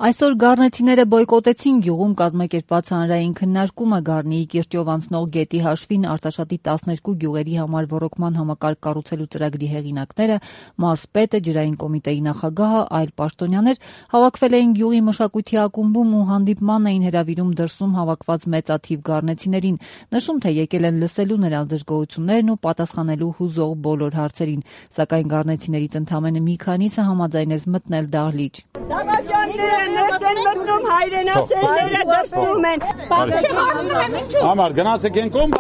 Այսօր գառնեցիները բոյկոտեցին գյուղում կազմակերպված հանրային քննարկումը Գառնիի կիրճով անցնող գետի հաշվին Արտաշատի 12 գյուղերի համար ոռոգման համակարգ կառուցելու ծրագրի հեղինակները, մարզպետը, ջրային կոմիտեի նախագահը, այլ պաշտոնյաներ հավաքվել էին գյուղի մշակույթի ակումբում ու հանդիպման էին հրավիրում դրսում հավաքված մեծաթիվ գառնեցիներին, նշում թե եկել են լսելու նրանց դժգոհություններն ու պատասխանելու հուզող բոլոր հարցերին, սակայն գառնեցիներից ընդամենը մի քանիսը համաձայնեց մտնել դահլիճ։ Ներս են մտնում հայրենասերները դրսում են։ Համար գնացեք են կոմ։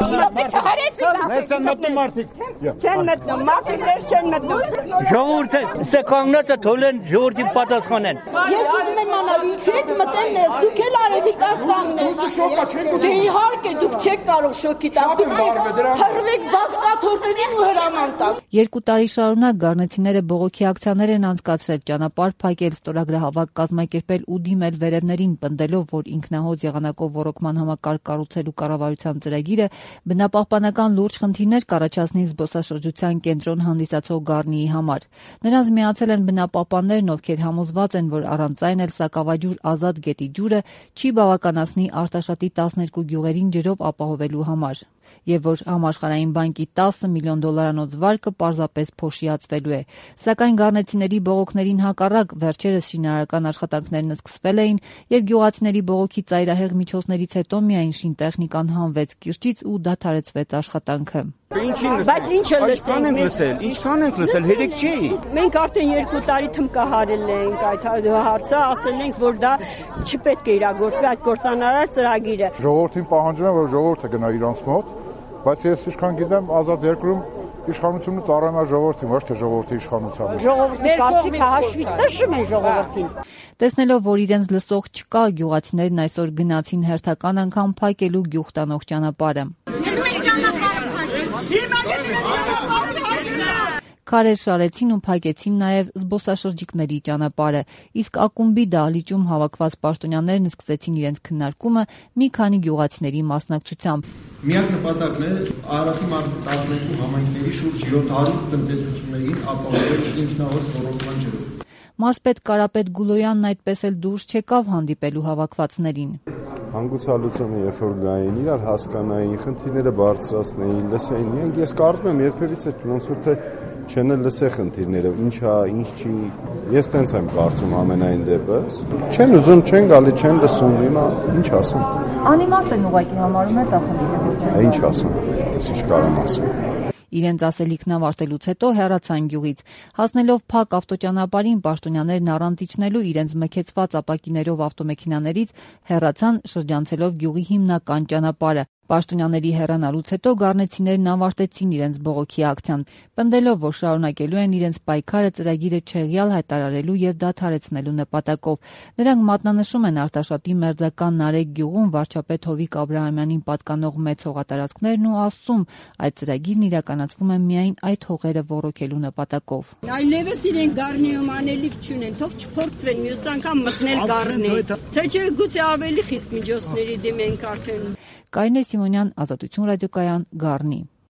Ներս են մտնում մարդիկ։ Չեն մտնում, մարդիկ ներս չեն մտնում։ Ժողովուրդը ստեկանացը թողեն ժողովրդին պատասխանեն։ Ես ուզում եմ անալ, չեք մտել ներս, դուք էլ արևի տակ կանգնեք։ Դե իհարկե դուք չեք կարող շոկի տակ, դուք հրվեք բազկաթոռներին ու հրաման տակ։ 2 տարի շարունակ գառնեցիները բողոքի ակցիաներ են անցկացրել, ճանապարհ փակել, ստորագրահավաք կազմակերպել ու դիմել վերևներին, պնդելով, որ ինքնահոծ եղանակով ոռոգման համակարգ կառուցելու կառավարության ծրագիրը բնապահպանական լուրջ խնդիրներ կառաջացնի զբոսաշրջության կենտրոն հանդիսացող Գառնիի համար։ Նրանց միացել են բնապահպաններն, ովքեր համոզված են, որ առանց այն էլ Սակավաջուր ազատ գետի ջուրը չի բավականացնի Արտաշատի 12 գյուղերին ջրով ապահովելու համար, եւ որ համաշխարհային բանկի $10 միլիոն վարկը պարզապես փոշիացվելու է։ Սակայն գառնեցիների բողոքներին հակառակ վերջերս շինարարական աշխատանքներն սկսվել էին եւ գյուղացիների բողոքի ծայրահեղ միջոցներից հետո միայն շինտեխնիկան հանվեց կիրճից ու դադարեցվեց աշխատանքը։ Բայց ինչը լսենք, Ինչքան ենք լսել, հերիք չի։ Մենք արդեն 2 տարի թմկահարել ենք այդ հարցը, ասել ենք, որ դա չպետք է իրագործվի այդ կործանարար ծրագիրը։ Ժողովրդին պահանջում են, որ ժողովուրդը գնա իրանց մոտ, բայց ես ինչքան գիտեմ, ազատ երկրում իշխանությունը ծառայում է ժողովրդին, ոչ թե ժողովրդի իշխանությանը։ Ժողովրդի կարծիքը հաշվի տշում են ժողովրդին։ Տեսնելով, որ իրենց լսող չկա, գյուղացիներն այսօր գնացին հերթական անգամ փակելու գյուղ տանող ճանապարհը։ Քարեր շարեցին ու փակեցին նաև զբոսաշրջիկների ճանապարհը, իսկ ակումբի դահլիճում հավաքված պաշտոնյաներն սկսեցին իրենց քննարկումը մի քանի գյուղացիների մասնակցությամբ։ Միակ նպատակն է Արարատի մարզի 12 համայնքների շուրջ 700 տնտեսություններին ապահովել ինքնահոս ոռոգման ջրով։ Մարզպետ Կարապետ Գուլոյանն այդպես էլ դուրս չեկավ հանդիպելու հավաքվածներին։ Հանգուցալուծումը երբ որ գային, իրար հասկանային, խնդիրները բարձրացնեին, լսեին։ Մենք ես կարծում եմ երբևիցե ոնց որ թե չեն լսե խնդիրները, ինչ է, ինչ չի։ Ես տենց եմ կարծում ամենայն դեպս։ Չեն ուզում, չեն գալի, չեն լսում, հիմա ինչ ասեմ։ Անիմաստ են ուղղակի համարում է դա խնդիրը։ Ինչ ասեմ, ես ինչ կարամ ասեմ։ Իրենց ասելիքն ավարտելուց հետո հեռացան գյուղից։ Հասնելով փակ ավտոճանապարհին պաշտոնյաներն առանց իջնելու իրենց մքեցված ապակիներով ավտոմեքենաներից հեռացան շրջանցելով գյուղի հիմնական ճանապարհը։ Պաշտոնյաների հեռանալուց հետո գառնեցիներն ավարտեցին իրենց բողոքի ակցիան, պնդելով, որ շարունակելու են իրենց պայքարը ծրագիրը չեղյալ հայտարարելու եւ դադարեցնելու նպատակով։ Նրանք մատնանշում են Արտաշատի մերձական Նարեկ գյուղում վարչապետ Հովիկ Աբրահամյանին պատկանող մեծ հողատարածքներն ու ասում, այդ ծրագիրն իրականացվում է միայն այդ հողերը ոռոգելու նպատակով։ Այլևս իրեն Գառնիում անելիք չունեն, թող չփորձվեն մյուս անգամ մտնել Գառնի։ Թե չէ գուցե ավելի խիստ միջոցների դիմենք արդեն։ Կարինե Սիմոնյան, Ազատություն ռադիոկայան, Գառնի։